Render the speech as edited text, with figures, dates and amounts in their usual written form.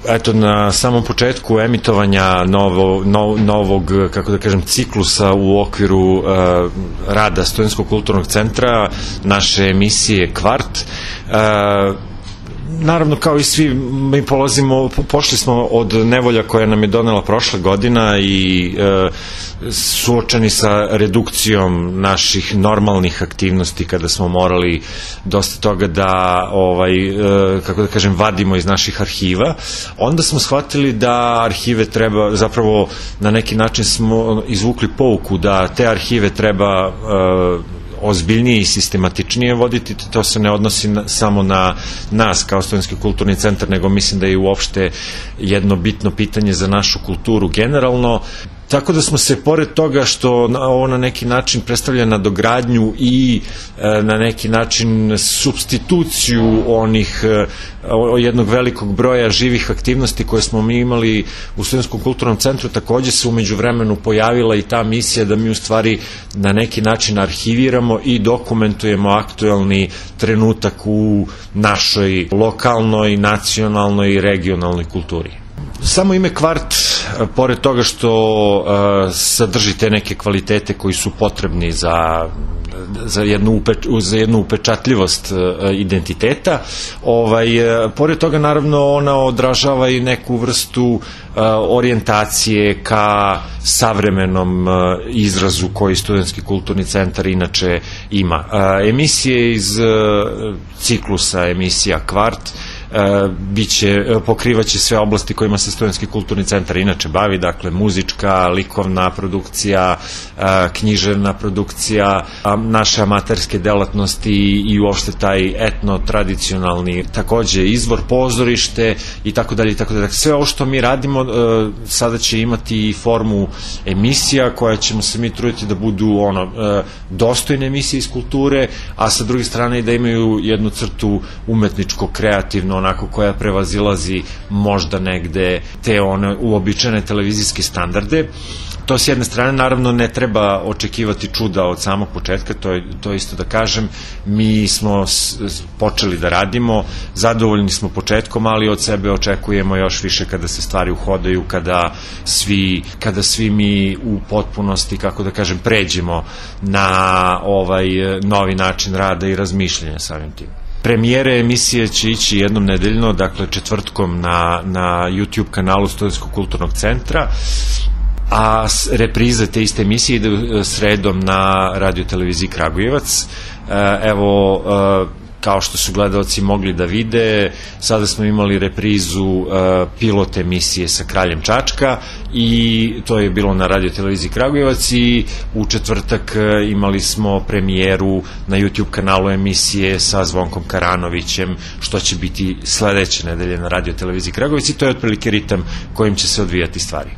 Eto, na samom početku emitovanja novog, kako da kažem, ciklusa u okviru rada Studentskog kulturnog centra, naše emisije Kvart, naravno, kao i svi, mi pošli smo od nevolja koja nam je donela prošla godina i suočeni sa redukcijom naših normalnih aktivnosti kada smo morali dosta toga da, kako da kažem, vadimo iz naših arhiva. Onda smo shvatili da arhive treba, zapravo na neki način smo izvukli pouku da te arhive treba ozbiljnije i sistematičnije voditi. To se ne odnosi samo na nas kao Studentski kulturni centar, nego mislim da je uopšte jedno bitno pitanje za našu kulturu generalno. Tako da smo se, pored toga što ovo na neki način predstavlja nadogradnju i na neki način supstituciju jednog velikog broja živih aktivnosti koje smo mi imali u Studentskom kulturnom centru, takođe se umeđu vremenu pojavila i ta misija da mi u stvari na neki način arhiviramo i dokumentujemo aktuelni trenutak u našoj lokalnoj, nacionalnoj i regionalnoj kulturi. Samo ime Kvart, pored toga što sadrži te neke kvalitete koji su potrebni za jednu upečatljivost identiteta, pored toga naravno ona odražava i neku vrstu orijentacije ka savremenom izrazu koji Studentski kulturni centar inače ima. Emisije iz ciklusa emisija Kvart pokrivaće sve oblasti kojima se Studentski kulturni centar inače bavi, dakle muzička, likovna produkcija, književna produkcija, naše amaterske delatnosti i uopšte taj etno-tradicionalni, takođe izvor, pozorište i tako dalje. Sve ovo što mi radimo sada će imati i formu emisija koja ćemo se mi truditi da budu dostojne emisije iz kulture, a sa druge strane i da imaju jednu crtu umetničko, kreativno, onako koja prevazilazi možda negde te uobičajene televizijske standarde. To s jedne strane, naravno, ne treba očekivati čuda od samog početka, to isto da kažem, mi smo počeli da radimo, zadovoljni smo početkom, ali od sebe očekujemo još više kada se stvari uhodaju, kada svi mi u potpunosti, kako da kažem, pređemo na novi način rada i razmišljanja samim tim. Premijere emisije će ići jednom nedeljno, dakle četvrtkom na YouTube kanalu Studentskog kulturnog centra, a reprize te iste emisije ide sredom na radio-televiziji Kragujevac. Evo, kao što su gledalci mogli da vide, sada smo imali reprizu pilot emisije sa Kraljem Čačka i to je bilo na radio-televiziji Kragujevac, i u četvrtak imali smo premijeru na YouTube kanalu emisije sa Zvonkom Karanovićem, što će biti sledeće nedelje na radio-televiziji Kragujevac, i to je otprilike ritam kojim će se odvijati stvari.